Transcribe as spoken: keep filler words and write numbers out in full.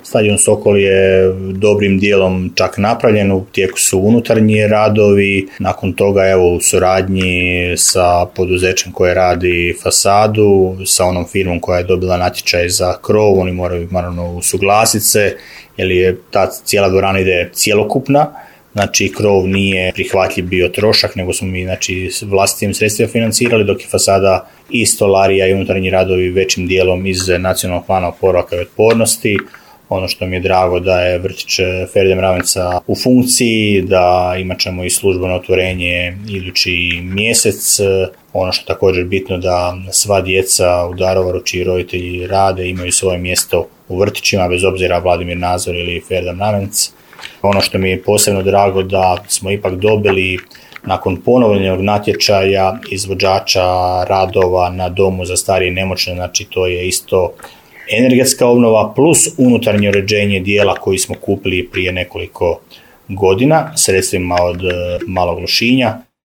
Stadion Sokol je dobrim dijelom čak napravljen, u tijeku su unutarnji radovi, nakon toga evo u suradnji sa poduzećem koje radi fasadu, sa onom firmom koja je dobila natječaj za krov, oni moraju naravno usuglasiti se, jer je ta cijela dvorana ide cjelokupna, znači krov nije prihvatljiv bio trošak, nego smo mi znači, vlastitim sredstvima financirali, dok je fasada i stolarija i unutarnji radovi većim dijelom iz nacionalnog plana oporavka i otpornosti. Ono što mi je drago da je vrtić Feride Mravenca u funkciji, da imat ćemo i službeno otvorenje idući mjesec. Ono što je također bitno da sva djeca u Daruvaru čiji roditelji rade imaju svoje mjesto u vrtićima, bez obzira Vladimir Nazor ili Ferida Mravenc. Ono što mi je posebno drago da smo ipak dobili nakon ponovljenog natječaja izvođača radova na domu za starije i nemoćne, znači to je isto energetska obnova plus unutarnje uređenje dijela koji smo kupili prije nekoliko godina sredstvima od Malog Lošinja.